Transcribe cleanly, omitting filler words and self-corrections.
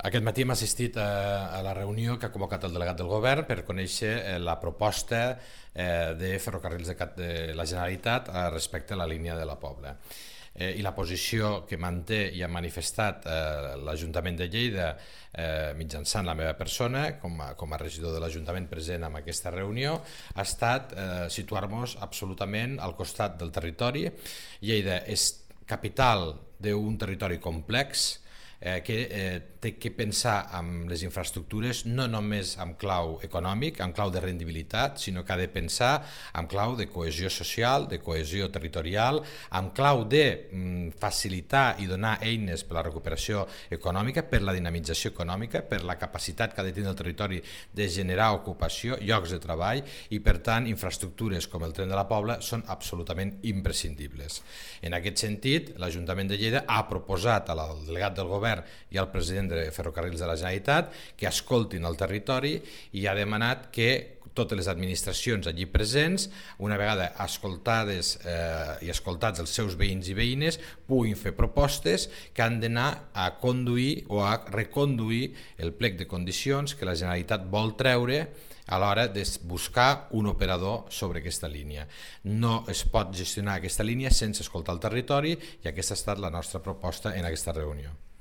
Aquest matí hem assistit a la reunió que ha convocat el delegat del govern per conèixer la proposta de Ferrocarrils de la Generalitat respecte a la línia de la Pobla. I la posició que manté i ha manifestat l'Ajuntament de Lleida mitjançant la meva persona com a regidor de l'Ajuntament present en aquesta reunió ha estat situar-nos absolutament al costat del territori. Lleida és capital d'un territori complex que té que pensar en les infraestructures no només en clau econòmic, en clau de rendibilitat, sinó que ha de pensar en clau de cohesió social, de cohesió territorial, en clau de facilitar i donar eines per a la recuperació econòmica, per la dinamització econòmica, per la capacitat que ha de tenir el territori de generar ocupació, llocs de treball i, per tant, infraestructures com el tren de la Pobla són absolutament imprescindibles. En aquest sentit, l'Ajuntament de Lleida ha proposat al delegat del govern i al president de Ferrocarrils de la Generalitat que escoltin el territori i ha demanat que totes les administracions allí presents, una vegada escoltades i escoltats els seus veïns i veïnes, puguin fer propostes que han d'anar a conduir o a reconduir el plec de condicions que la Generalitat vol treure a l'hora de buscar un operador sobre aquesta línia. No es pot gestionar aquesta línia sense escoltar el territori i aquesta ha estat la nostra proposta en aquesta reunió.